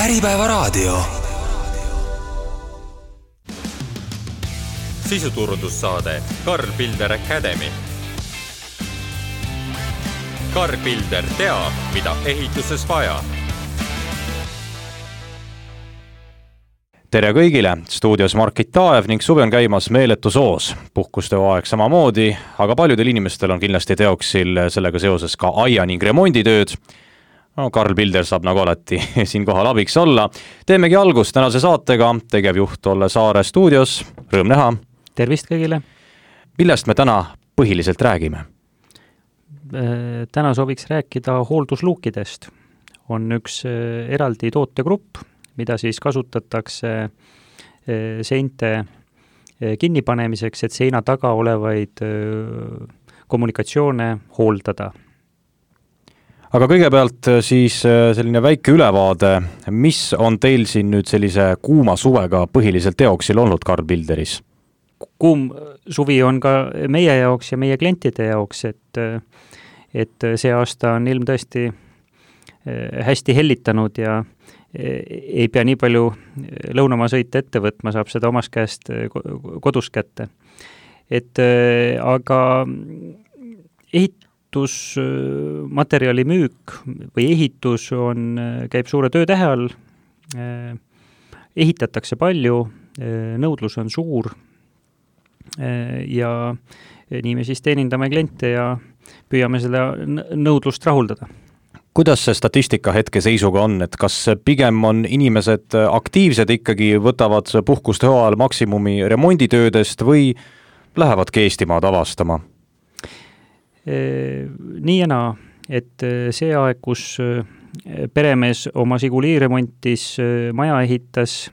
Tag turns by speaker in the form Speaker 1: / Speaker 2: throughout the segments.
Speaker 1: Äripäevaraadio.
Speaker 2: Sisuturundussaade Karl Pilder Academy. Karl Pilder teab, mida ehituses vaja.
Speaker 3: Tere kõigile, stuudios Markit Taev ning suvi on käimas meeletus oos. Puhkusteaeg samamoodi, aga paljudel inimestel on kindlasti teoksil sellega seoses ka aia ning remonditööd. Karl Pilder saab nagu alati siin kohal abiks olla. Teemegi algust tänase saatega, tegevjuht Olle Saare stuudios. Rõõm näha.
Speaker 4: Tervist kõigile.
Speaker 3: Millest me täna põhiliselt räägime?
Speaker 4: Täna sooviks rääkida hooldusluukidest. On üks eraldi tootegrupp, mida siis kasutatakse seinte kinnipanemiseks, et seina taga olevaid kommunikatsioone hooldada.
Speaker 3: Aga kõigepealt siis selline väike ülevaade, mis on teil siin nüüd sellise kuuma suvega põhiliselt teoksil olnud Karl Pilderis?
Speaker 4: Kuum suvi on ka meie jaoks ja meie klientide jaoks, et see aasta on ilm tõesti hästi hellitanud ja ei pea nii palju lõunamaa sõita ette võtma, saab seda omast käest kodus kätte. Aga ehitusmaterjali müük või ehitus käib suure töötähe all, ehitatakse palju, nõudlus on suur ja nii me siis teenindame kliente ja püüame seda nõudlust rahuldada.
Speaker 3: Kuidas see statistika hetke seisuga on, et kas pigem on inimesed aktiivsed ikkagi, võtavad puhkuste hooajal maksimumi remonditöödest või lähevadki Eestimaad avastama?
Speaker 4: Nii ja naa, et see aeg, kus peremees oma Siguli remontis, maja ehitas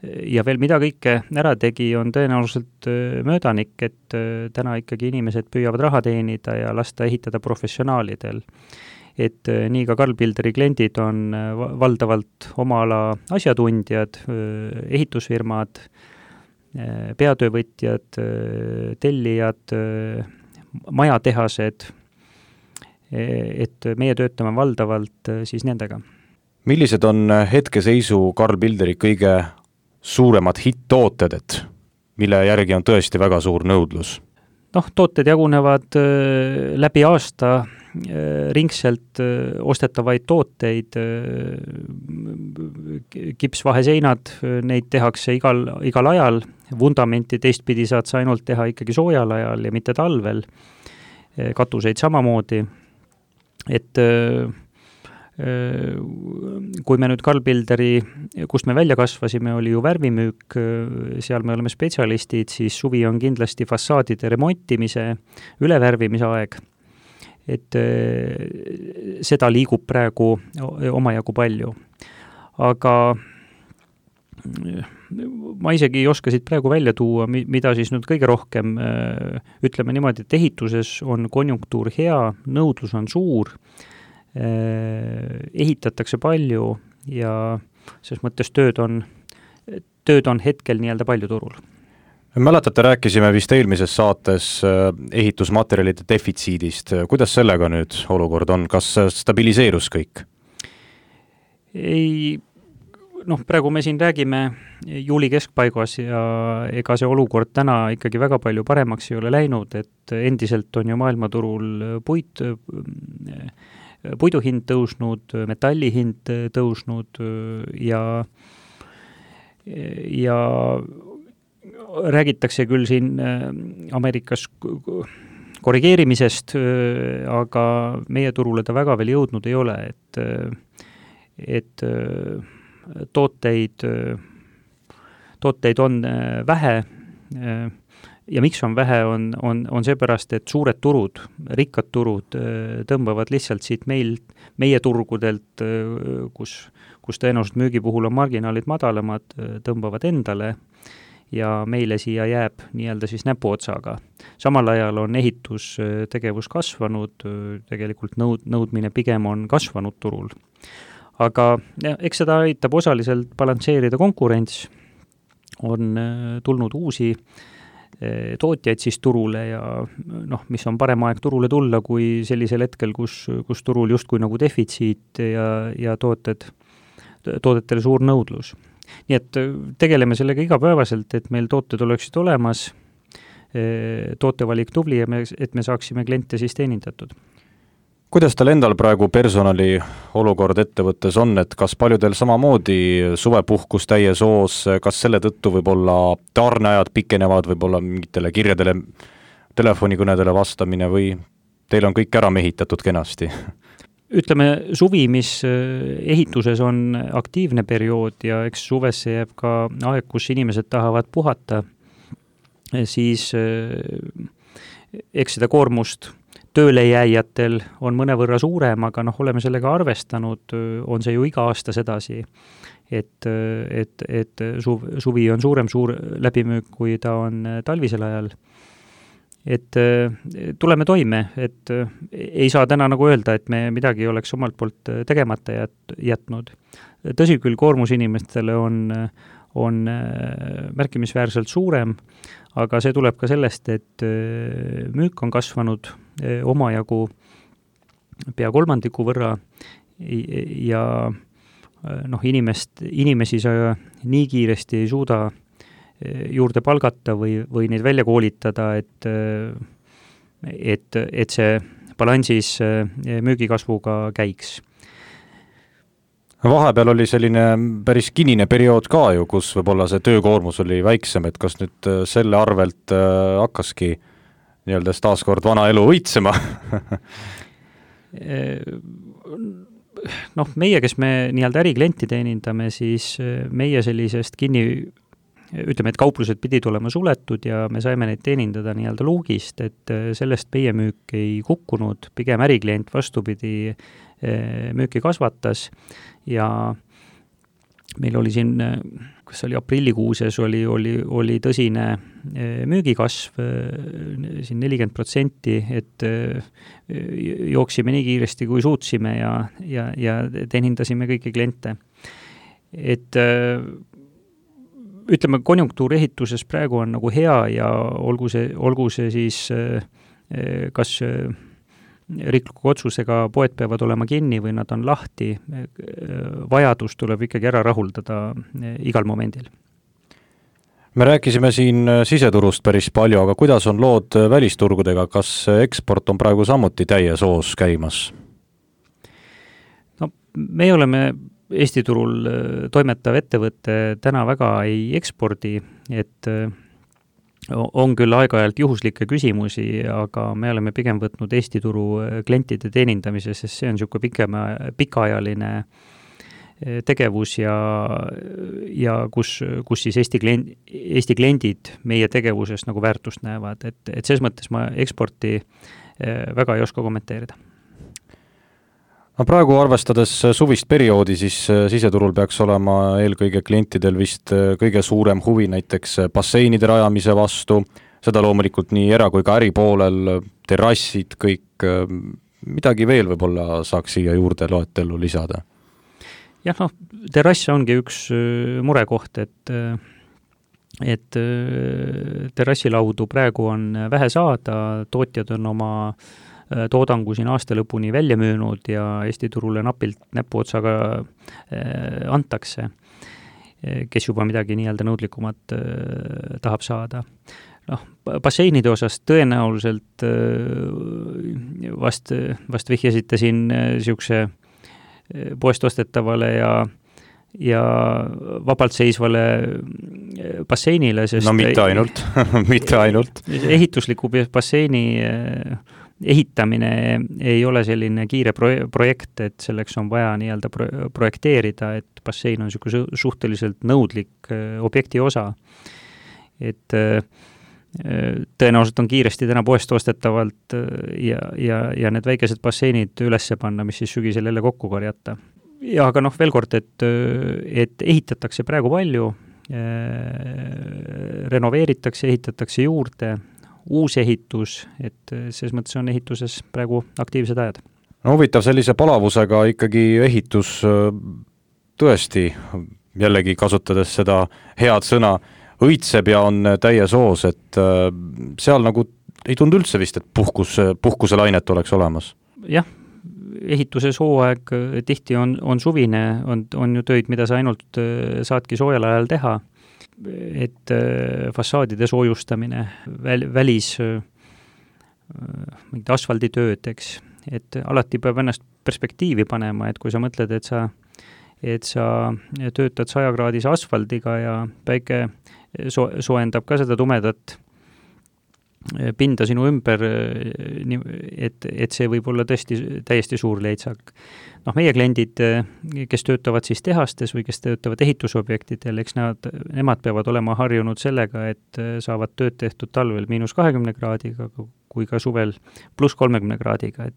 Speaker 4: ja veel mida kõike ära tegi, on tõenäoliselt möödanik, et täna ikkagi inimesed püüavad raha teenida ja lasta ehitada professionaalidel. Et nii ka Karl Pilderi kliendid on valdavalt oma ala asjatundjad, ehitusfirmad, peatöövõtjad, tellijad, majatehased, et meie töötame valdavalt siis nendega.
Speaker 3: Millised on hetkeseisu Karl Pilderi kõige suuremad hitt-tooted, et mille järgi on tõesti väga suur nõudlus? Tooted jagunevad läbi aasta ringselt ostetavaid tooteid, kipsvaheseinad, neid tehakse igal ajal, vundamenti teistpidi saad sa ainult teha ikkagi soojal ajal ja mitte talvel, katuseid samamoodi, et kui me nüüd Karl Pilderi, kust me välja kasvasime, oli ju värvimüük, seal me oleme spetsialistid, siis suvi on kindlasti fassaadide remontimise, ülevärvimise aeg, et seda liigub praegu omajagu palju. Aga ma isegi ei oska siit praegu välja tuua, mida siis nüüd kõige rohkem, ütleme niimoodi, et ehituses on konjunktuur hea, nõudlus on suur, ehitatakse palju ja selles mõttes tööd on hetkel nii-öelda palju turul. Mäletate, rääkisime vist eelmises saates ehitusmaterjalide defitsiidist. Kuidas sellega nüüd olukord on? Kas stabiliseerus kõik?
Speaker 4: Ei, praegu me siin räägime juuli keskpaigas ja ega see olukord täna ikkagi väga palju paremaks ei ole läinud, et endiselt on ju maailmaturul puidu hind tõusnud, metalli hind tõusnud ja räägitakse küll siin Ameerikas korrigeerimisest, aga meie turule ta väga veel jõudnud ei ole, et tooteid on vähe ja miks on vähe, on seepärast, et suured turud, rikkad turud tõmbavad lihtsalt siit meie turgudelt, kus tõenäoliselt müügi puhul on marginaalid madalamad, tõmbavad endale ja meile siia jääb nii-öelda siis näpuotsaga. Samal ajal on ehitustegevus kasvanud, tegelikult nõudmine pigem on kasvanud turul. Aga eks seda aitab osaliselt balansseerida konkurents, on tulnud uusi tootjaid siis turule ja mis on parem aeg turule tulla, kui sellisel hetkel, kus turul justkui nagu defitsiit ja tooted toodetele suur nõudlus. Nii et tegeleme sellega igapäevaselt, et meil tooted oleksid olemas, tootevalik tubli ja et me saaksime kliente siis teenindatud.
Speaker 3: Kuidas teil endal praegu personali olukord ettevõttes on, et kas paljudel samamoodi suvepuhkus täies hoos, kas selle tõttu võib-olla tarneajad pikenevad, võib-olla mingitele kirjadele, telefonikõnedele vastamine või teil on kõik ära mehitatud kenasti?
Speaker 4: Ütleme, suvi, mis ehituses on aktiivne periood ja eks suvesse jääb ka aeg, kus inimesed tahavad puhata, siis eks seda koormust tööle jääjatel on mõnevõrra suurem, aga oleme sellega arvestanud, on see ju iga aasta sedasi, et suvi on suur läbimüük, kui ta on talvisel ajal. Et tuleme toime, et ei saa täna nagu öelda, et me midagi oleks omalt poolt tegemata jätnud. Tõsi küll, koormus inimestele on märkimisväärselt suurem, aga see tuleb ka sellest, et müük on kasvanud omajagu pea 3% võrra ja inimesi sa nii kiiresti ei suuda juurde palgata või neid välja koolitada, et see balansis müügikasvuga käiks.
Speaker 3: Vahepeal oli selline päris kinnine periood ka ju, kus võib-olla see töökoormus oli väiksem, et kas nüüd selle arvelt hakkaski nii-öelda taaskord vana elu õitsema?
Speaker 4: Meie, kes me nii-öelda äriklienti teenindame, siis meie sellisest ütleme, et kauplused pidid olema suletud ja me saime neid teenindada nii-öelda luugist, et sellest meie müük ei kukkunud, pigem äriklient vastupidi müüki kasvatas ja meil oli siin, kas oli aprillikuuses, oli tõsine müügikasv, siin 40%, et jooksime nii kiiresti, kui suutsime ja teenindasime kõiki kliente. Et ütleme, konjunktuur ehituses praegu on nagu hea ja olgu see siis kas riikliku otsusega poed peavad olema kinni või nad on lahti, vajadus tuleb ikkagi ära rahuldada igal momendil.
Speaker 3: Me rääkisime siin siseturust päris palju, aga kuidas on lood välisturgudega, kas eksport on praegu samuti täies hoos käimas?
Speaker 4: No, me oleme Eesti turul toimetav ettevõtte täna väga ei ekspordi, et on küll aeg-ajalt juhuslikke küsimusi, aga me oleme pigem võtnud Eesti turu klientide teenindamise, sest see on niisugune pikaajaline tegevus ja kus siis Eesti kliendid meie tegevuses nagu väärtust näevad, et selles mõttes ma eksporti väga ei oska kommenteerida.
Speaker 3: No praegu arvestades suvist perioodi, siis siseturul peaks olema eelkõige klientidel vist kõige suurem huvi näiteks basseinide rajamise vastu, seda loomulikult nii era- kui ka äripoolel, terrassid, kõik, midagi veel võib-olla saaks siia juurde loetellu lisada?
Speaker 4: Jah, terrass ongi üks murekoht, et terrassilaudu praegu on vähe saada, tootjad on oma toodangu siin aasta lõpuni välja müünud ja Eesti turule napilt näpuotsaga antakse, kes juba midagi nii-öelda nõudlikumat tahab saada. Basseinide osas tõenäoliselt vast vihjasite siin niisuguse poest ostetavale ja vabalt seisvale basseinile, sest
Speaker 3: mitte ainult.
Speaker 4: Ehitusliku basseini ehitamine ei ole selline kiire projekt, et selleks on vaja nii-öelda projekteerida, et bassein on suhteliselt nõudlik objekti osa. Et tõenäoliselt on kiiresti täna poest ostetavalt ja need väikesed basseinid ülesse panna, mis siis sügisel jälle kokku korjata. Ja aga veel kord, et ehitatakse praegu palju, renoveeritakse, ehitatakse juurde, uus ehitus, et selles mõttes on ehituses praegu aktiivsed ajad.
Speaker 3: No huvitav, sellise palavusega ikkagi ehitus tõesti, jällegi kasutades seda head sõna, õitseb ja on täies hoos, et seal nagu ei tundu üldse vist, et puhkuselainet oleks olemas.
Speaker 4: Jah, ehituses hooaeg tihti on suvine, on ju töid, mida sa ainult saadki soojal ajal teha, et fassaadide soojustamine, välis mingid asfalditööd, eks, et alati peab ennast perspektiivi panema, et kui sa mõtled, et sa töötad 100-kraadise asfaldiga ja päike soojendab ka seda tumedat pinda sinu ümber, et see võib olla tõesti täiesti suur leitsak. Meie kliendid, kes töötavad siis tehastes või kes töötavad ehitusobjektidel, eks nemad peavad olema harjunud sellega, et saavad tööd tehtud talvel -20 kraadiga, kui ka suvel +30 kraadiga,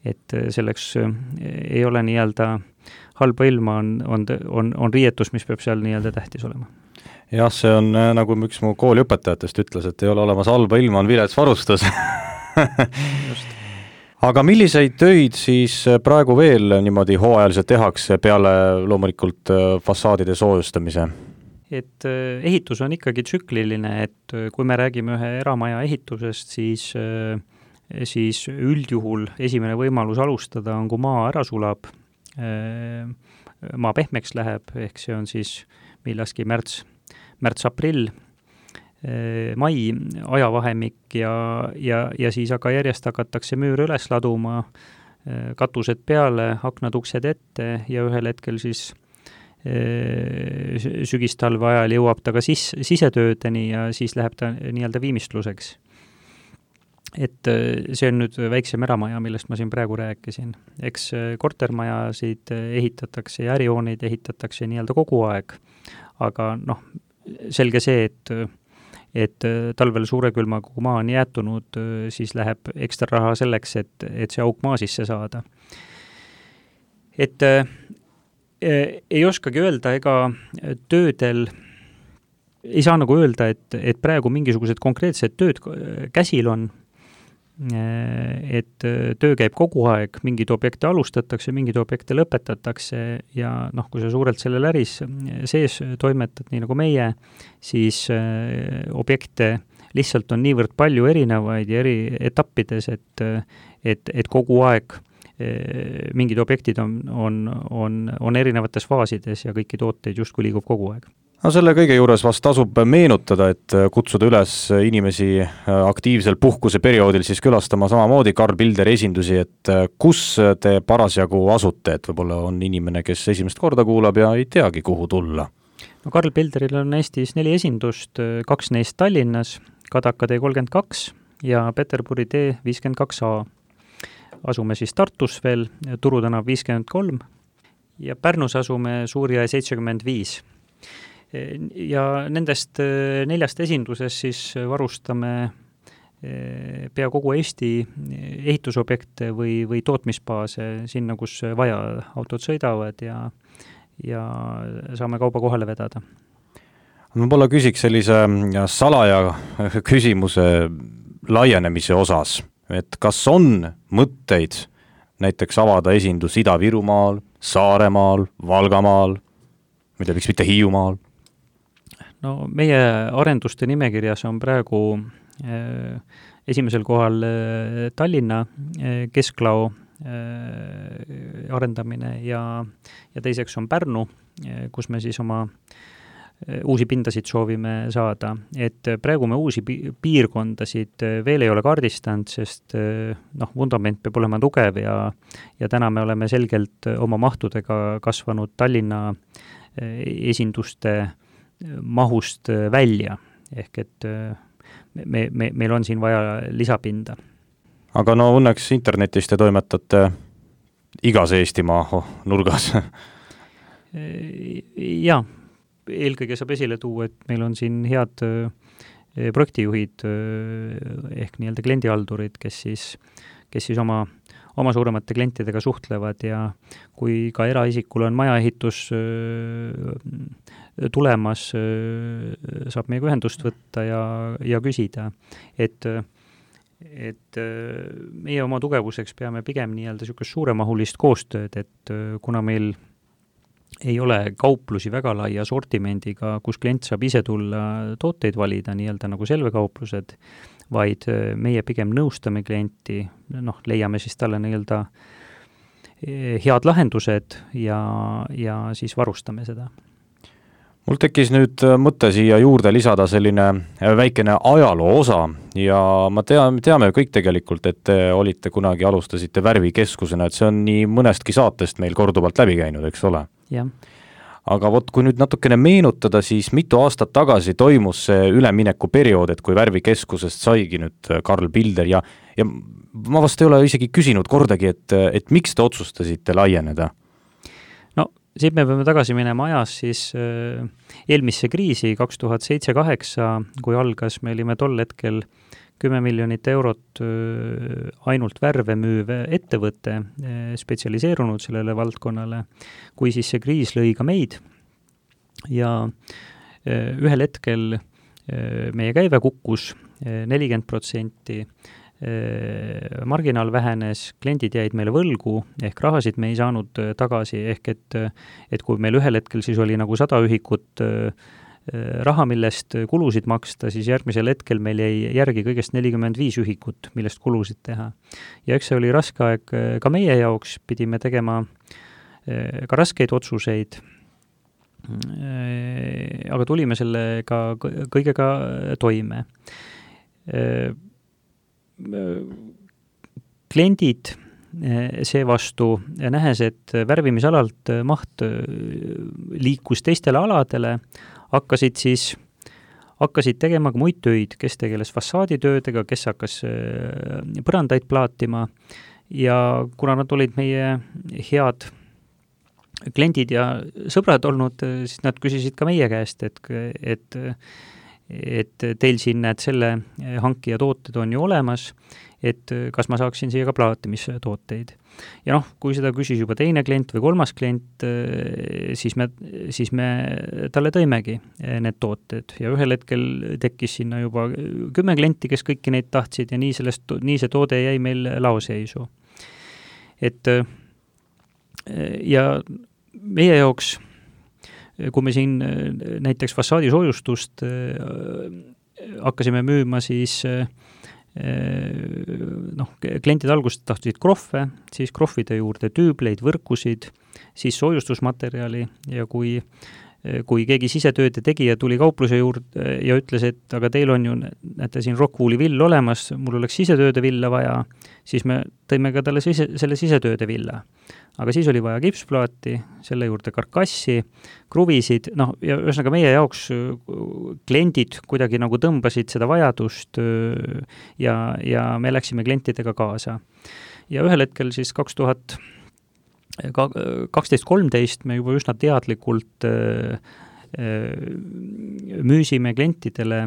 Speaker 4: et selleks ei ole nii-öelda halba ilma, on riietus, mis peab seal nii-öelda tähtis olema.
Speaker 3: Jah, see on nagu üks mu kooliõpetajatest ütles, et ei ole olemas halba ilma, on vilets varustus. Aga milliseid töid siis praegu veel niimoodi hooajaliselt tehakse peale loomulikult fassaadide soojustamise?
Speaker 4: Et ehitus on ikkagi tsükliline, et kui me räägime ühe eramaja ehitusest, siis üldjuhul esimene võimalus alustada on, kui maa ära sulab, maa pehmeks läheb, ehk see on siis millalgi märts-aprill, mai ajavahemik ja siis aga järjest hakatakse müüre üles laduma, katused peale, aknad, uksed ette ja ühel hetkel siis sügistalve ajal jõuab ta ka sisetöödeni ja siis läheb ta nii-öelda viimistluseks. Et see on nüüd väiksem eramaja, millest ma siin praegu rääkisin. Eks kortermajasid ehitatakse ja ärihooneid ehitatakse nii-öelda kogu aeg, aga selge see, et talvel suure külma, kui maa on jäätunud, siis läheb ekstra raha selleks, et see auk maa sisse saada. Et ei oskagi öelda, ega töödel ei saa nagu öelda, et praegu mingisugused konkreetsed tööd käsil on, et töö käib kogu aeg, mingid objekte alustatakse, mingid objekte lõpetatakse ja kui sa suurelt sellel äris sees toimetad, nii nagu meie, siis objekte lihtsalt on niivõrd palju erinevaid ja eri etappides, et kogu aeg mingid objektid on erinevates faasides ja kõiki tooteid justkui liigub kogu aeg.
Speaker 3: No selle kõige juures vast tasub meenutada, et kutsuda üles inimesi aktiivsel puhkuse perioodil siis külastama samamoodi Karl Bilderi esindusi, et kus te parasjagu asute, et võib-olla on inimene, kes esimest korda kuulab ja ei teagi, kuhu tulla.
Speaker 4: No Karl Bilderil on Eestis 4 esindust, 2 neist Tallinnas, Kadaka tee 32 ja Peterburi tee 52A. Asume siis Tartus veel, Turu tänav 53 ja Pärnus asume Suurjõe 75. Ja nendest 4 esindusest siis varustame pea kogu Eesti ehitusobjekte või tootmisbaase sinna, kus vaja, autod sõidavad ja saame kauba kohale vedada.
Speaker 3: Ma võib-olla küsiks sellise salaja küsimuse laienemise osas, et kas on mõtteid näiteks avada esindus Ida-Virumaal, Saaremaal, Valgamaal, mida miks mitte Hiiumaal?
Speaker 4: No meie arenduste nimekirjas on praegu esimesel kohal Tallinna kesklao arendamine ja teiseks on Pärnu, kus me siis oma uusi pindasid soovime saada. Et praegu me uusi piirkondasid veel ei ole kaardistanud, sest vundament peab olema tugev ja täna me oleme selgelt oma mahtudega kasvanud Tallinna esinduste mahust välja, ehk et meil on siin vaja lisapinda.
Speaker 3: Aga õnneks internetist te toimetate igas Eestimaa nurgas.
Speaker 4: Jaa, eelkõige saab esile tuua, et meil on siin head projektijuhid ehk nii-öelda kliendihaldurid, kes siis oma suuremate klientidega suhtlevad ja kui ka eraisikul on majaehitus tulemas, saab meiega ühendust võtta ja küsida, et meie oma tugevuseks peame pigem nii-öelda niisugust suuremahulist koostööd, et kuna meil ei ole kauplusi väga laia sortimendiga, kus klient saab ise tulla tooteid valida, nii-öelda nagu selvekauplused, vaid meie pigem nõustame klienti, leiame siis talle nii-öelda head lahendused ja siis varustame seda.
Speaker 3: Mul tekkis nüüd mõte siia juurde lisada selline väikene ajaloo osa ja ma teame kõik tegelikult, et te olite kunagi, alustasite värvikeskusena, et see on nii mõnestki saatest meil korduvalt läbi käinud, eks ole?
Speaker 4: Jah.
Speaker 3: Aga vot, kui nüüd natukene meenutada, siis mitu aastat tagasi toimus see üleminekuperiood, et kui värvikeskusest saigi nüüd Karl Pilder ja ma vast ei ole isegi küsinud kordagi, et miks te otsustasite laieneda?
Speaker 4: No, siit me peame tagasi minema ajas siis eelmisse kriisi 2007-2008, kui algas, me olime tol hetkel 10 miljonit eurot ainult värve müüv ettevõte, spetsialiseerunud sellele valdkonnale, kui siis see kriis lõi ka meid ja ühel hetkel meie käive kukkus 40%, marginaal vähenes, kliendid jäid meile võlgu, ehk rahasid me ei saanud tagasi, ehk et kui meil ühel hetkel siis oli nagu 100 ühikut raha, millest kulusid maksta, siis järgmisel hetkel meil jäi järgi kõigest 45 ühikut, millest kulusid teha. Ja eks see oli raske aeg ka meie jaoks, pidime tegema ka raskeid otsuseid, aga tulime sellega kõigega toime. Kliendid seevastu, nähes, et värvimisalalt maht liikus teistele aladele, hakkasid tegema ka muid töid, kes tegeles fassaaditöödega, kes hakkas põrandaid plaatima ja kuna nad olid meie head kliendid ja sõbrad olnud, siis nad küsisid ka meie käest, et teil siin näed selle hankija tooted on ju olemas, et kas ma saaksin siia ka plaatimistooteid. Ja kui seda küsis juba teine klient või kolmas klient, siis me talle tõimegi need tooted ja ühel hetkel tekkis sinna juba 10 klienti, kes kõiki neid tahtsid ja nii see toode jäi meil laoseisu. Ja meie jaoks, kui me siin näiteks fassaadisoojustust hakkasime müüma, siis klientid alguses tahtsid krohve, siis krohvide juurde tüübleid, võrkusid, siis soojustusmaterjali ja kui keegi sisetööde tegija tuli kaupluse juurde ja ütles, et aga teil on ju, näete siin Rockwooli vill olemas, mul oleks sisetööde villa vaja, siis me tõime ka talle selle sisetööde villa. Aga siis oli vaja kipsplaati, selle juurde karkassi, kruvisid, ja ühesõnaga meie jaoks kliendid kuidagi nagu tõmbasid seda vajadust ja me läksime klientidega kaasa. Ja ühel hetkel siis 2012-13 me juba üsna teadlikult müüsime klientidele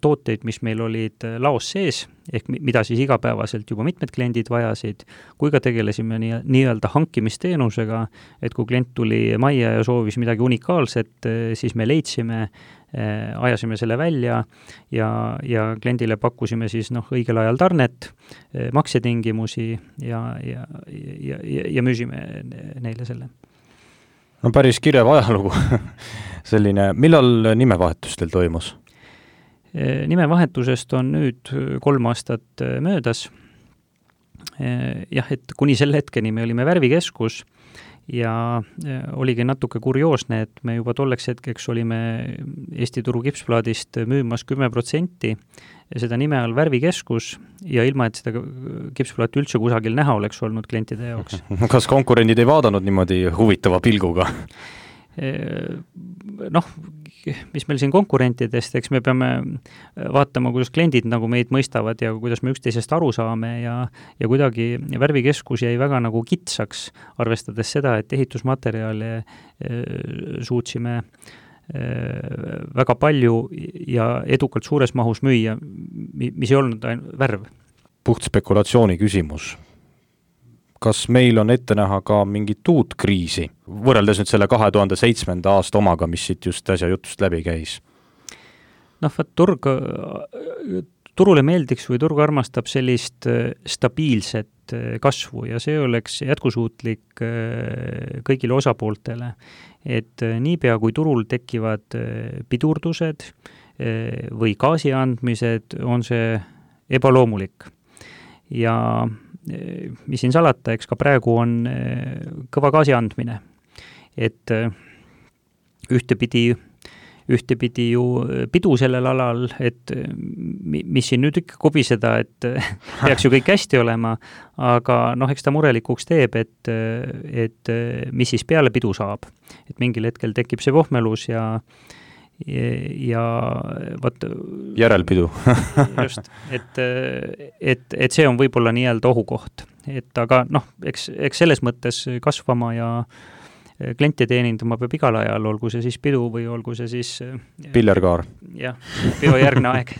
Speaker 4: tooteid, mis meil olid laos sees, ehk mida siis igapäevaselt juba mitmed kliendid vajasid, kui ka tegelesime nii-öelda hankimisteenusega, et kui klient tuli majja ja soovis midagi unikaalset, siis me leidsime, ajasime selle välja ja kliendile pakkusime siis õigel ajal tarnet, maksetingimusi ja müüsime neile selle.
Speaker 3: No päris kirev ajalugu. Selline, millal nimevahetus teil toimus?
Speaker 4: Nimevahetusest on nüüd 3 aastat möödas. Jah, et kuni selle hetkeni me olime värvikeskus ja oligi natuke kurioosne, et me juba tolleks hetkeks olime Eesti turu kipsplaadist müümas 10% seda nime all värvikeskus ja ilma, et seda kipsplaati üldse kusagil näha oleks olnud klientide jaoks.
Speaker 3: Kas konkurendid ei vaadanud niimoodi huvitava pilguga?
Speaker 4: Mis meil siin konkurentidest, eks me peame vaatama, kuidas kliendid nagu meid mõistavad ja kuidas me üksteisest aru saame ja kuidagi värvikeskus jäi väga nagu kitsaks, arvestades seda, et ehitusmaterjale suutsime väga palju ja edukalt suures mahus müüa, mis ei olnud värv.
Speaker 3: Puht spekulatsiooni küsimus. Kas meil on ette näha ka mingit uut kriisi, võrreldes nüüd selle 2007. aasta omaga, mis siit just äsja jutust läbi käis?
Speaker 4: Turule meeldiks või turg armastab sellist stabiilset kasvu ja see oleks jätkusuutlik kõigile osapooltele. Et niipea kui turul tekivad pidurdused või gaasi andmised, on see ebaloomulik. Ja mis siin salata, eks ka praegu on kõva gaasi andmine. Et ühtepidi ju pidu sellel alal, et mis siin nüüd ikka kobiseda, et peaks ju kõik hästi olema, aga eks ta murelikuks teeb, et mis siis peale pidu saab. Et mingil hetkel tekib see pohmelus ja võt...
Speaker 3: Järelpidu.
Speaker 4: Just, et see on võib-olla nii-öelda ohukoht. Et aga eks selles mõttes kasvama ja kliente teenindama peab igal ajal, olgu see siis pidu või olgu see siis
Speaker 3: Pillerkaar.
Speaker 4: Jah, pidu järgne aeg.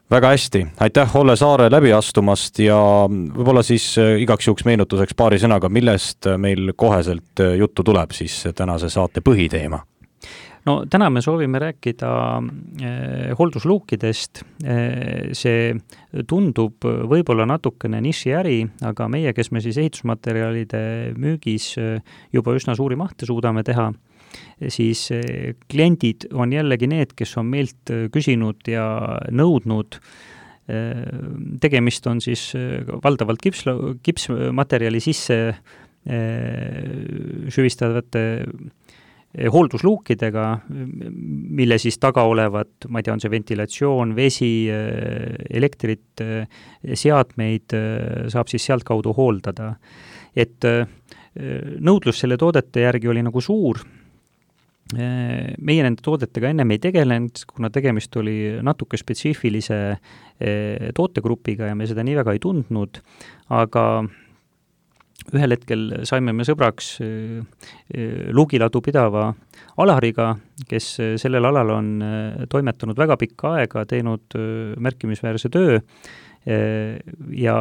Speaker 3: Väga hästi, aitäh Olle Saare läbi astumast ja võib-olla siis igaks juhuks meenutuseks paari sõnaga, millest meil koheselt juttu tuleb siis tänase saate põhiteema?
Speaker 4: No täna me soovime rääkida hooldusluukidest. See tundub võib-olla natukene nišiäri, aga meie, kes me siis ehitusmaterjalide müügis juba üsna suuri mahte suudame teha, siis kliendid on jällegi need, kes on meilt küsinud ja nõudnud. Tegemist on siis valdavalt kipsmaterjali sisse süvistavate hooldusluukidega, mille siis taga olevat, ma ei tea, on see ventilatsioon, vesi, elektrit, seadmeid saab siis sealt kaudu hooldada. Et nõudlus selle toodete järgi oli nagu suur. Meie nende toodetega ennem ei tegelenud, kuna tegemist oli natuke spetsiifilise tootegrupiga ja me seda nii väga ei tundnud, aga ühel hetkel saime me sõbraks luugiladu pidava Alariga, kes sellel alal on toimetanud väga pikka aega, teinud märkimisväärse töö ja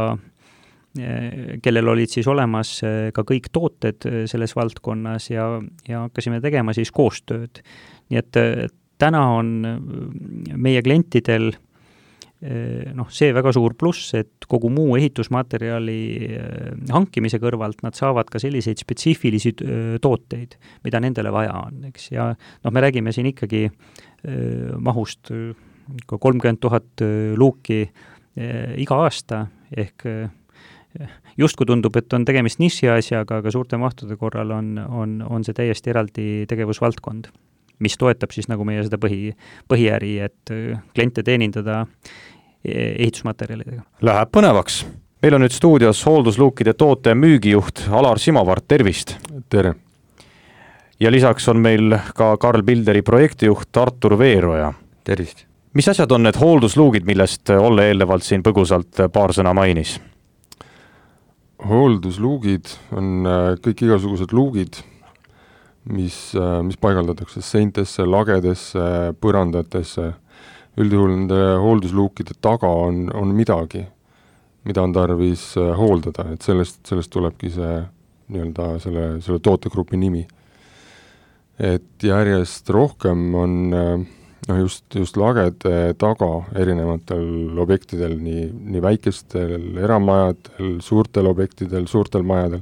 Speaker 4: kellel olid siis olemas ka kõik tooted selles valdkonnas ja hakkasime tegema siis koostööd. Nii et täna on meie klientidel see väga suur pluss, et kogu muu ehitusmaterjali hankimise kõrvalt nad saavad ka selliseid spetsiifilisi tooteid, mida nendele vaja on, eks. Ja me räägime siin ikkagi mahust 30 000 luuki iga aasta, ehk justkui tundub, et on tegemist niši asjaga, aga suurte mahtude korral on see täiesti eraldi tegevusvaldkond, mis toetab siis nagu meie seda põhiäri, et kliente teenindada ehitusmaterjalidega.
Speaker 3: Läheb põnevaks. Meil on nüüd stuudios hooldusluukide toote müügijuht Alar Simavart, tervist!
Speaker 1: Tere!
Speaker 3: Ja lisaks on meil ka Karl Bilderi projektijuht Artur Veeroja.
Speaker 1: Tervist!
Speaker 3: Mis asjad on need hooldusluugid, millest Olle eelnevalt siin põgusalt paar sõna mainis?
Speaker 1: Hooldusluugid on kõik igasugused luugid, mis paigaldatakse seintesse, lagedesse, põrandatesse. Üldjuhul nende hooldusluukide taga on midagi, mida on tarvis hooldada, et sellest tulebki see nii-öelda selle tootegrupi nimi. Et järjest rohkem on just lagede taga erinevatel objektidel, nii väikestel eramajadel, suurtel objektidel, suurtel majadel,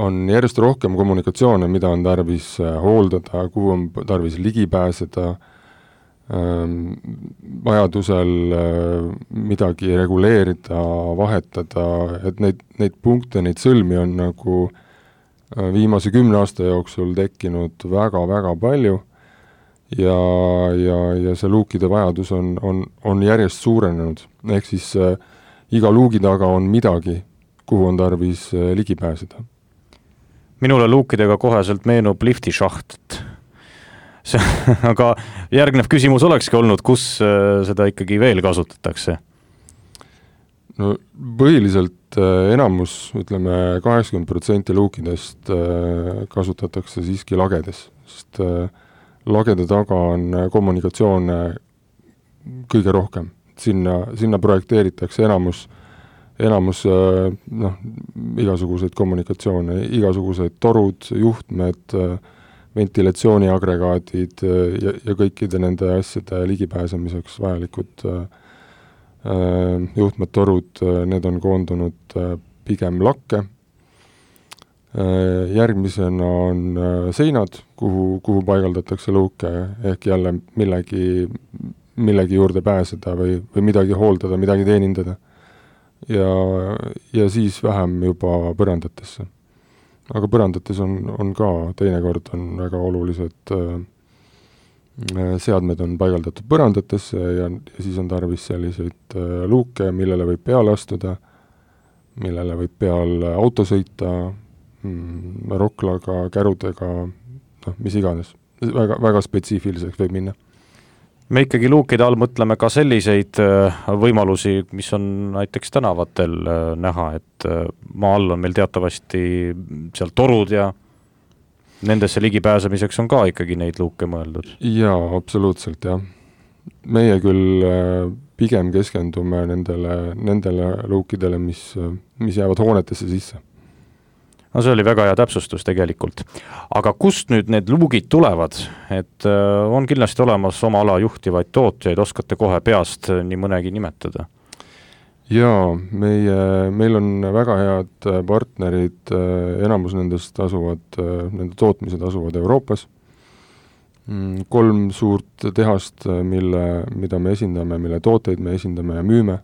Speaker 1: on järjest rohkem kommunikatsioone, mida on tarvis hooldada, kuhu on tarvis ligi pääseda, vajadusel midagi reguleerida, vahetada, et neid punkte, neid sõlmi on nagu viimase 10 aasta jooksul tekkinud väga-väga palju ja see luukide vajadus on järjest suurenenud. Ehk siis iga luugi taga on midagi, kuhu on tarvis ligi pääseda.
Speaker 3: Minule luukidega koheselt meenub liftishaht. Aga järgnev küsimus olekski olnud, kus seda ikkagi veel kasutatakse?
Speaker 1: No põhiliselt enamus, ütleme 80% luukidest kasutatakse siiski lagedes, sest lagede taga on kommunikatsioone kõige rohkem. Sinna projekteeritakse enamus igasuguseid kommunikatsioone, igasugused torud, juhtmed, ventilatsiooniagregaadid ja kõikide nende asjade ligipääsemiseks vajalikud juhtmed, torud, need on koondunud pigem lakke. Järgmisena on seinad, kuhu paigaldatakse luuke, ehk jälle millegi juurde pääseda või midagi hooldada, midagi teenindada. ja siis vähem juba põrandatesse. Aga põrandates on ka teinekord on väga olulised seadmed on paigaldatud põrandatesse ja siis on tarvis selliseid luuke, millele võib peale astuda, millele võib peal auto sõita, roklaga, kärudega, mis iganes. Väga, väga spetsiifiliseks võib minna.
Speaker 3: Me ikkagi luukide all mõtleme ka selliseid võimalusi, mis on näiteks tänavatel näha, et maa all on meil teatavasti seal torud ja nendesse ligipääsemiseks on ka ikkagi neid luuke mõeldud.
Speaker 1: Jaa, absoluutselt, jah. Meie küll pigem keskendume nendele luukidele, mis jäävad hoonetesse sisse.
Speaker 3: No see oli väga hea täpsustus tegelikult. Aga kust nüüd need luugid tulevad? Et on kindlasti olemas oma ala juhtivaid tootjaid, oskate kohe peast nii mõnegi nimetada?
Speaker 1: Jaa, meil on väga head partnerid, enamus nendest nende tootmised asuvad Euroopas. 3 suurt tehast, mida me esindame, mille tooteid me esindame ja müüme,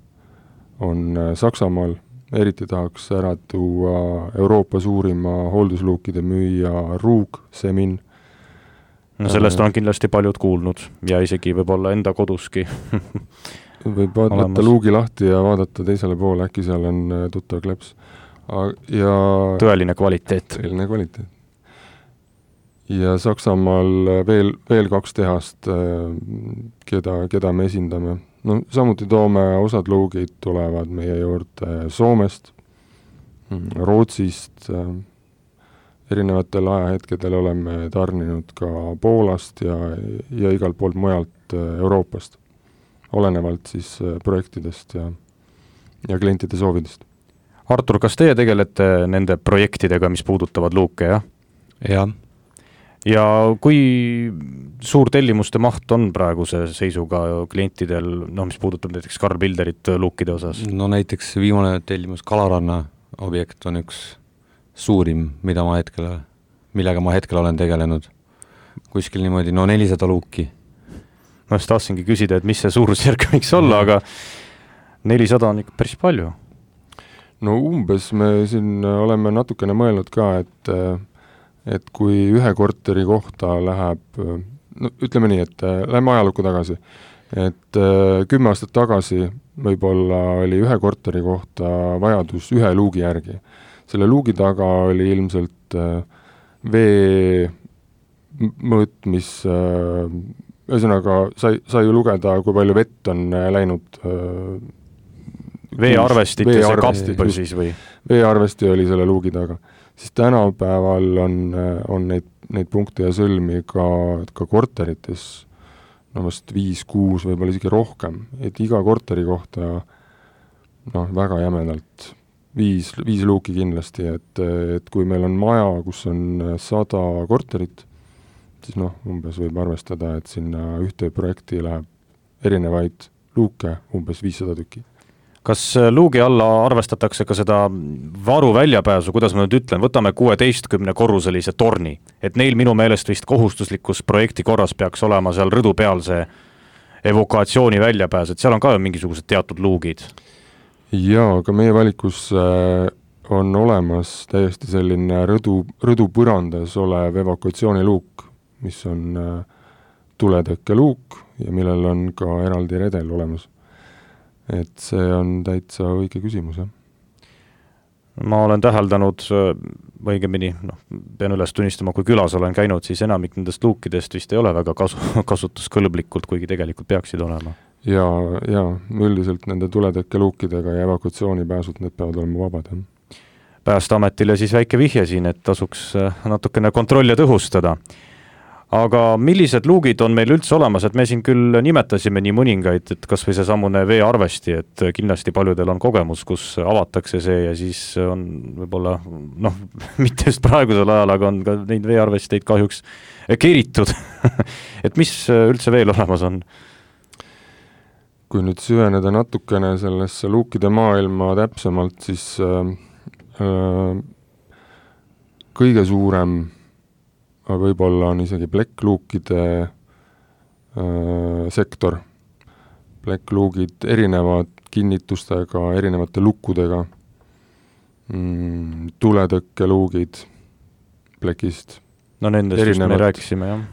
Speaker 1: on Saksamaal. Eriti tahaks ära tuua Euroopa suurima hooldusluukide müüja Ruug, Semin.
Speaker 3: No sellest on kindlasti paljud kuulnud ja isegi võib-olla enda koduski.
Speaker 1: Võib võtta luugi lahti ja vaadata teisele poole, äkki seal on tuttav kleps. Ja
Speaker 3: tõeline kvaliteet.
Speaker 1: Tõeline kvaliteet. Ja Saksamaal veel 2 tehast, keda me esindame. No, samuti toome osad luugid tulevad meie juurde Soomest, Rootsist, erinevatel ajahetkedel oleme tarninud ka Poolast ja igalt poolt mujalt Euroopast, olenevalt siis projektidest ja klientide soovidest.
Speaker 3: Artur, kas teie tegelete nende projektidega, mis puudutavad luuke, jah?
Speaker 5: Jah.
Speaker 3: Ja kui suur tellimuste maht on praeguse seisuga klientidel, mis puudutab näiteks Karl Bilderit luukide osas?
Speaker 5: No näiteks viimane tellimus Kalaranna objekt on üks suurim, millega ma hetkel olen tegelenud. Kuskil niimoodi 400 luuki.
Speaker 3: Ma just tahtsingi küsida, et mis see suurusjärk võiks olla, aga 400 on ikka päris palju.
Speaker 1: No umbes me siin oleme natukene mõelnud ka, et kui ühe korteri kohta läheb, ütleme nii, et läheme ajalukku tagasi, et 10 aastat tagasi võib-olla oli ühe korteri kohta vajadus ühe luugi järgi. Selle luugi taga oli ilmselt vee mõõt, mis ühesõnaga sai ju lugeda, kui palju vett on läinud.
Speaker 3: Veearvestit ja see kapp siis või?
Speaker 1: Veearvesti oli selle luugi taga. Siis tänapäeval on neid punkte ja sõlmi ka korterites vast 5-6, võib-olla isegi rohkem. Et iga korteri kohta väga jämedalt 5 luuki kindlasti, et kui meil on maja, kus on 100 korterit, siis umbes võib arvestada, et sinna ühte projekti läheb erinevaid luuke, umbes 500 tükki.
Speaker 3: Kas luugi alla arvestatakse ka seda varu väljapääsu, kuidas ma nüüd ütlen, võtame 16-korruselise torni, et neil minu meelest vist kohustuslikus projekti korras peaks olema seal rõdu peal see evakuatsiooni väljapääs, et seal on ka mingisugused teatud luugid?
Speaker 1: Jaa, aga meie valikus on olemas täiesti selline rõdu põrandas olev evakuatsiooniluuk, mis on tuletõkkeluuk ja millel on ka eraldi redel olemas. Et see on täitsa õige küsimus, jah.
Speaker 3: Ma olen täheldanud õigemini, pean üles tunnistama, kui külas olen käinud, siis enamik nendest luukidest vist ei ole väga kasutuskõlblikult, kuigi tegelikult peaksid olema.
Speaker 1: Ja üldiselt nende tuletõkkeluukidega ja evakuatsioonipääsud, need peavad olema vabad, jah.
Speaker 3: Päästeametile siis väike vihje siin, et tasuks natukene kontrolli tõhustada. Aga millised luugid on meil üldse olemas, et me siin küll nimetasime nii mõningaid, et kas või see samune veearvesti, et kindlasti paljudel on kogemus, kus avatakse see ja siis on võib-olla, mitte just praegusel ajal, aga on ka neid veearvesteid kahjuks keeritud. Et mis üldse veel olemas on?
Speaker 1: Kui nüüd süveneda natukene sellesse luukide maailma täpsemalt, siis kõige suurem võib-olla on isegi plekkluukide sektor. Plekkluugid erinevad kinnitustega, erinevate lukkudega, tuletõkkeluugid plekist,
Speaker 3: no nendest just me rääkisime, jah.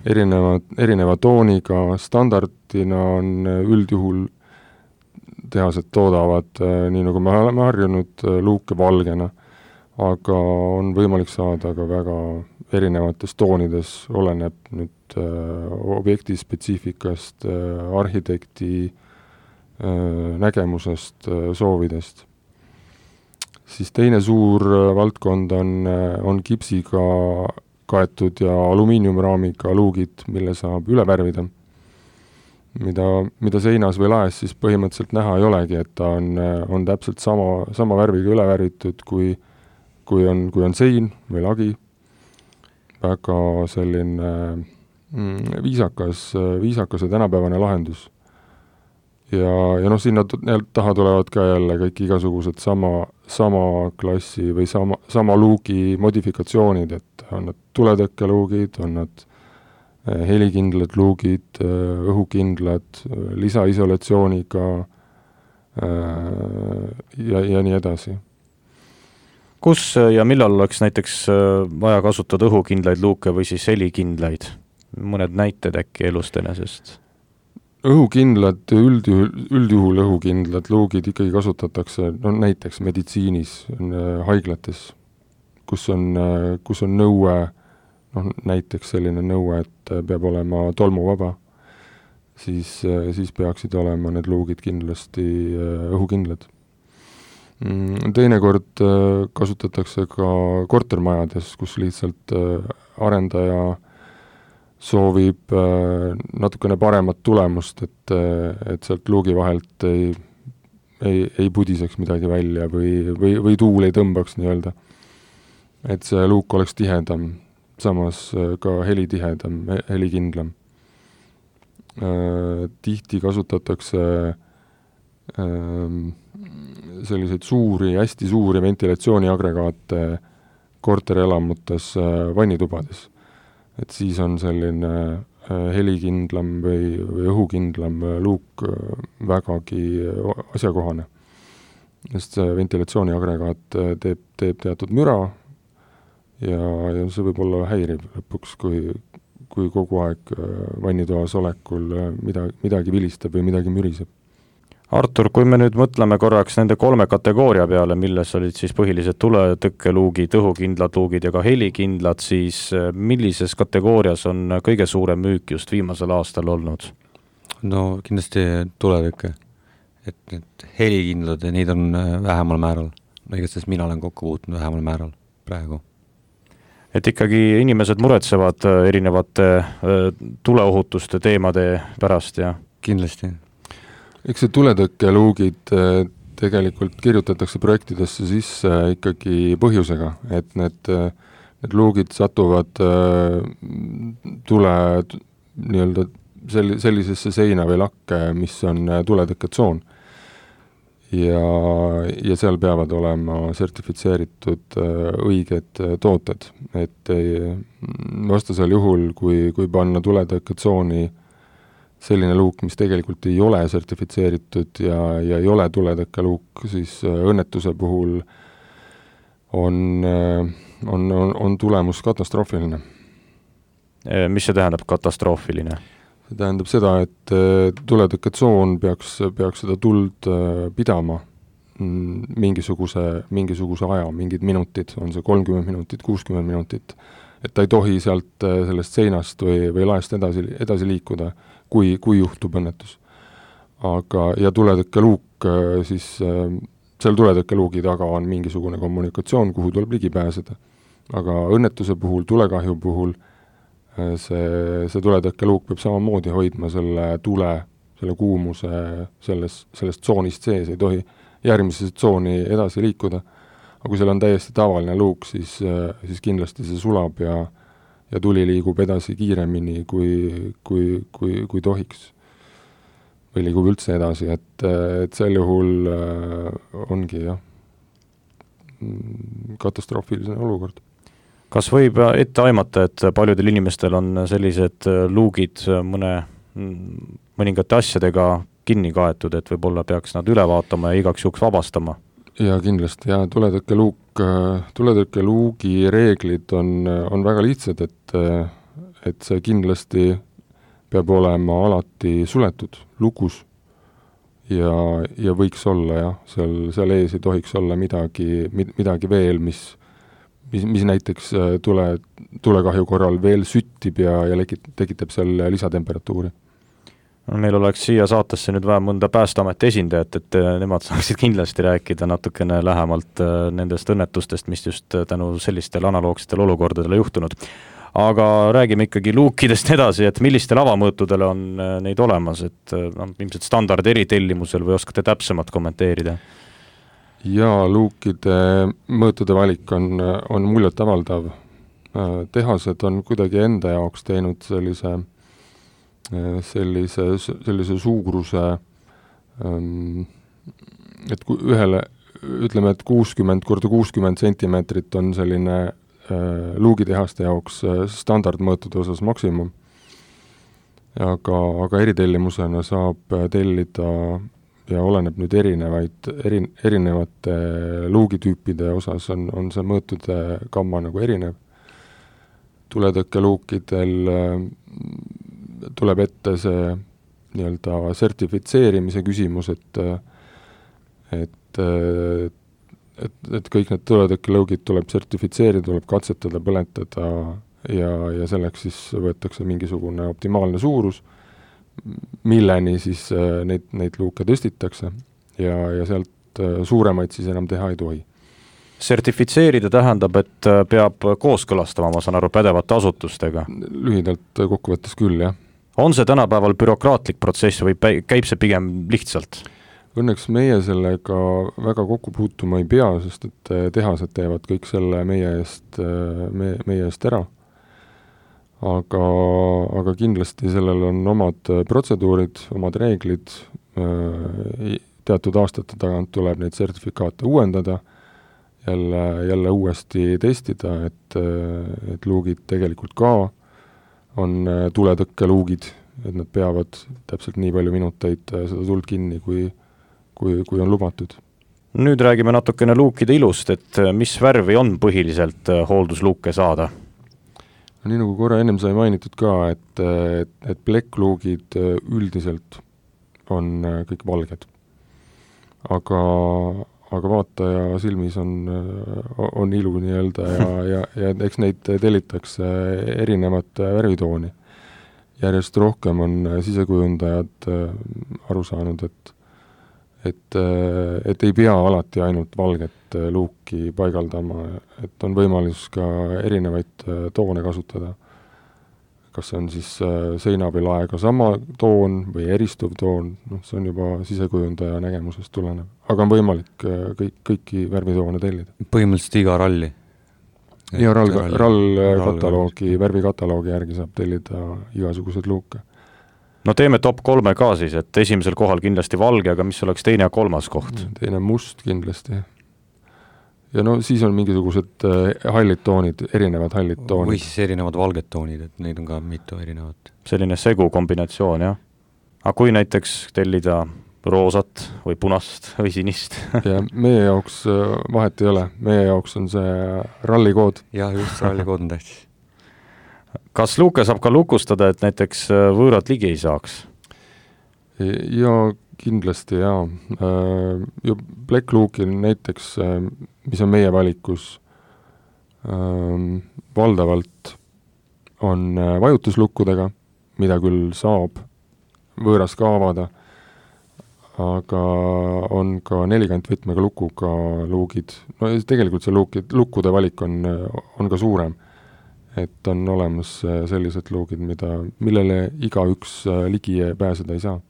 Speaker 1: erineva tooniga, standardina on üldjuhul tehased toodavad, nii nagu me oleme harjunud, luuke valgena, aga on võimalik saada ka väga erinevates toonides, oleneb nüüd objekti spetsiifikast, arhitekti nägemusest, soovidest. Siis teine suur valdkond on kipsiga kaetud ja alumiiniumraamiga luugid, mille saab üle värvida, mida seinas või laes siis põhimõtteliselt näha ei olegi, et ta on täpselt sama värviga üle värvitud, kui on sein või lagi. Väga selline viisakas ja tänapäevane lahendus. Ja sinna taha tulevad ka jälle kõik igasugused sama klassi või sama luugi modifikatsioonid, et on nad tuletõkkeluugid, on nad helikindlad luugid, õhukindlad, lisaisolatsiooniga ja nii edasi.
Speaker 3: Kus ja millal oleks näiteks vaja kasutada õhukindlaid luuke või siis helikindlaid? Mõned näited äkki elust enesest?
Speaker 1: Õhukindlad, üldjuhul õhukindlad luugid ikkagi kasutatakse näiteks meditsiinis, haiglates, kus on nõue, näiteks selline nõue, et peab olema tolmuvaba, siis peaksid olema need luugid kindlasti õhukindlad. Teinekord kasutatakse ka kortermajades, kus lihtsalt arendaja soovib natukene paremat tulemust, et sealt luugi vahelt ei pudiseks midagi välja või tuul ei tõmbaks nii-öelda. Et see luuk oleks tihedam, samas ka helitihedam, helikindlam. Tihti kasutatakse selliseid hästi suuri ventilatsiooniagregaate korterelamutes vannitubades. Et siis on selline helikindlam või õhukindlam luuk vägagi asjakohane. Sest see ventilatsiooniagregaat teeb teatud müra ja see võib olla häiriv lõpuks, kui kogu aeg vannitoas olekul midagi vilistab või midagi müriseb.
Speaker 3: Artur, kui me nüüd mõtleme korraks nende 3 kategooria peale, milles olid siis põhilised tuletõkkeluugid, õhukindlad luugid ja ka helikindlad, siis millises kategoorias on kõige suurem müük just viimasel aastal olnud?
Speaker 5: No kindlasti tuletõkke. Et helikindlad ja neid on vähemal määral. Igastahes mina olen kokku puutunud vähemal määral praegu.
Speaker 3: Et ikkagi inimesed muretsevad erinevate tuleohutuste teemade pärast ja
Speaker 5: kindlasti.
Speaker 1: Eks see tuletõkkeluugid tegelikult kirjutatakse projektidesse sisse ikkagi põhjusega, et need luugid satuvad tule nii-öelda sellisesse seina või lakke, mis on tuletõkketsoon. Ja seal peavad olema sertifitseeritud õiged tooted, et vastasel juhul, kui panna tuletõkketsooni selline luuk, mis tegelikult ei ole sertifitseeritud ja ei ole tuletõkkeluuk, siis õnnetuse puhul on tulemus katastroofiline.
Speaker 3: Mis see tähendab katastroofiline?
Speaker 1: See tähendab seda, et tuletõkketsoon peaks seda tuld pidama mingisuguse aja, mingid minutid, on see 30 minutit, 60 minutit, et ta ei tohi sealt sellest seinast või laest edasi liikuda, kui juhtub õnnetus. Ja tuletõkkeluuk, siis seal tuletõkkeluugi taga on mingisugune kommunikatsioon, kuhu tuleb ligi pääseda. Aga õnnetuse puhul, tulekahju puhul see tuletõkkeluuk peab samamoodi hoidma selle kuumuse sellest tsoonist sees, ei tohi järgmisesse tsooni edasi liikuda. Aga kui seal on täiesti tavaline luuk, siis kindlasti see sulab ja tuli liigub edasi kiiremini kui tohiks. Või liigub üldse edasi, et sel juhul ongi katastroofiline olukord.
Speaker 3: Kas võib ette aimata, et paljudel inimestel on sellised luugid mõningate asjadega kinni kaetud, et võib-olla peaks nad üle vaatama ja igaks juhuks vabastama?
Speaker 1: ja kindlasti, ja tuletõrkeluugi reeglid on väga lihtsad, et see kindlasti peab olema alati suletud, lukus ja võiks olla jah, seal ees ei tohiks olla midagi veel, mis näiteks tulekahju korral veel süttib ja tekitab seal lisatemperatuuri.
Speaker 3: Meil oleks siia saatesse nüüd vaja mõnda Päästeameti esindajat, et nemad saaksid kindlasti rääkida natukene lähemalt nendest õnnetustest, mis just tänu sellistel analoogsetel olukordadele juhtunud. Aga räägime ikkagi luukidest edasi, et millistel avamõõtudel on neid olemas, et ilmselt standard eritellimusel või oskate täpsemalt kommenteerida?
Speaker 1: Ja luukide mõõtude valik on muljet avaldav. Tehased on kuidagi enda jaoks teinud sellise suuruse, et ühele, ütleme, et 60x60 sentimeetrit on selline luugitehaste jaoks standardmõõtude osas maksimum. Aga eritellimusena saab tellida ja oleneb nüüd erinevate luugitüüpide osas on see mõõtude gamma nagu erinev. Tuletõkkeluukidel tuleb ette see nii-öelda sertifitseerimise küsimus, et kõik need tuletõkkeluugid tuleb sertifitseerida, tuleb katsetada, põletada ja selleks siis võetakse mingisugune optimaalne suurus, milleni siis neid luuke tõstitakse ja sealt suuremaid siis enam teha ei tohi.
Speaker 3: Sertifitseerida tähendab, et peab kooskõlastama, ma saan aru, pädevate asutustega?
Speaker 1: Lühidalt kokkuvõttes küll, jah.
Speaker 3: On see tänapäeval bürokraatlik protsess või käib see pigem lihtsalt?
Speaker 1: Õnneks meie sellega väga kokku puutuma ei pea, sest et tehased teevad kõik selle meie eest ära. Aga kindlasti sellel on omad protseduurid, omad reeglid, teatud aastate tagant tuleb neid sertifikaate uuendada, jälle uuesti testida, et luugid tegelikult ka on tuletõkkeluugid, et nad peavad täpselt nii palju minuteid seda tuld kinni, kui on lubatud. Nüüd
Speaker 3: räägime natukene luukide ilust, et mis värvi on põhiliselt hooldusluuke saada?
Speaker 1: Nii nagu korra ennem sai mainitud ka, et plekkluugid üldiselt on kõik valged. Aga vaataja silmis on ilu nii-öelda ja eks neid tellitakse erinevat värvitooni. Järjest rohkem on sisekujundajad aru saanud, et ei pea alati ainult valget luuki paigaldama, et on võimalus ka erinevaid toone kasutada. Kas see on siis seina või laega sama toon või eristuv toon, see on juba sisekujundaja nägemusest tulenev. Aga on võimalik kõiki värvitoone tellida.
Speaker 5: Põhimõtteliselt iga ralli?
Speaker 1: Ja värvikataloogi järgi saab tellida igasuguseid luuke.
Speaker 3: No teeme top 3 ka siis, et esimesel kohal kindlasti valge, aga mis oleks teine ja kolmas koht?
Speaker 1: Teine must kindlasti. Ja no siis on mingisugused hallid toonid, erinevad hallid toonid.
Speaker 5: Või siis erinevad valged toonid, et neid on ka mitu erinevat.
Speaker 3: Selline segu kombinatsioon, jah. Aga kui näiteks tellida roosat või punast või sinist?
Speaker 1: Ja meie jaoks vahet ei ole. Meie jaoks on see rallikood.
Speaker 5: Ja just, rallikood on tähtis.
Speaker 3: Kas luuke saab ka lukustada, et näiteks võõrad ligi ei saaks?
Speaker 1: Ja kindlasti, jaa. Plekkluukil näiteks, mis on meie valikus, valdavalt on vajutuslukkudega, mida küll saab võõras ka avada, aga on ka 40 võtmega lukuga luugid. No tegelikult see lukkude valik on ka suurem. Et on olemas sellised luugid, millele igaüks ligi pääseda ei saa.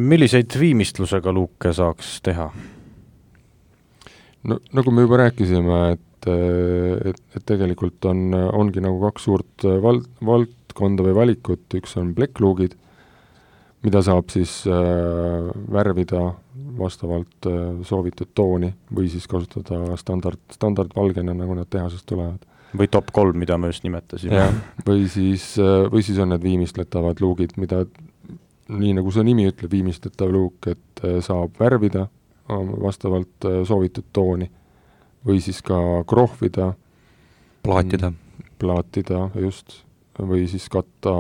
Speaker 3: Milliseid viimistlusega luuke saaks teha?
Speaker 1: No, nagu me juba rääkisime, et tegelikult ongi nagu 2 suurt valdkonda või valikut. Üks on plekkluugid, mida saab siis värvida vastavalt soovitud tooni või siis kasutada standardvalgena, nagu nad tehasest tulevad.
Speaker 3: Või top 3, mida me just nimetasime.
Speaker 1: Ja, või siis on need viimistletavad luugid, mida nii nagu see nimi ütleb, viimistletav luuk, et saab värvida vastavalt soovitud tooni või siis ka krohvida, plaatida just, või siis katta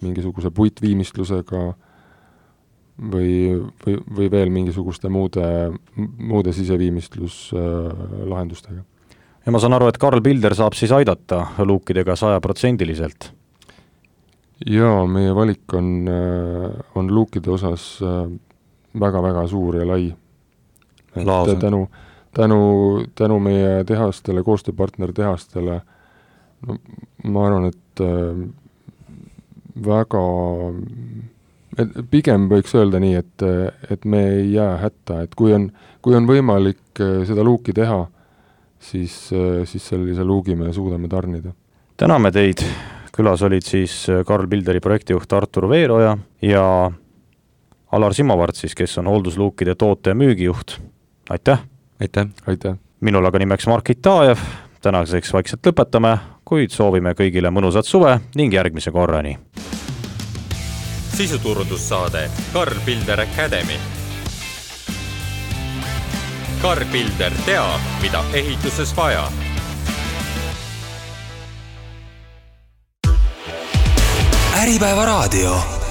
Speaker 1: mingisuguse puitviimistlusega või veel mingisuguste muude siseviimistluslahendustega.
Speaker 3: Ja ma saan aru, et Karl Pilder saab siis aidata luukidega 100%.
Speaker 1: Jaa, meie valik on luukide osas väga-väga suur ja lai. Tänu meie tehastele, koostööpartner tehastele, no, ma arvan, et pigem võiks öelda nii, et me ei jää hätta, et kui on võimalik seda luuki teha, siis sellise luugi me suudame tarnida.
Speaker 3: Täname teid, külas olid siis Karl Pilderi projektijuht Artur Veeroja ja Alar Simovart siis, kes on hooldusluukide toote- ja müügijuht. Aitäh!
Speaker 1: Aitäh!
Speaker 3: Minul aga nimeks Mark Itajev, tänaseks vaikselt lõpetame, kuid soovime kõigile mõnusat suve ning järgmise korrani.
Speaker 2: Sisuturundussaade Karl Pilder Academy. Karl Pilder teab, mida ehituses vaja.
Speaker 6: Äripäeva raadio.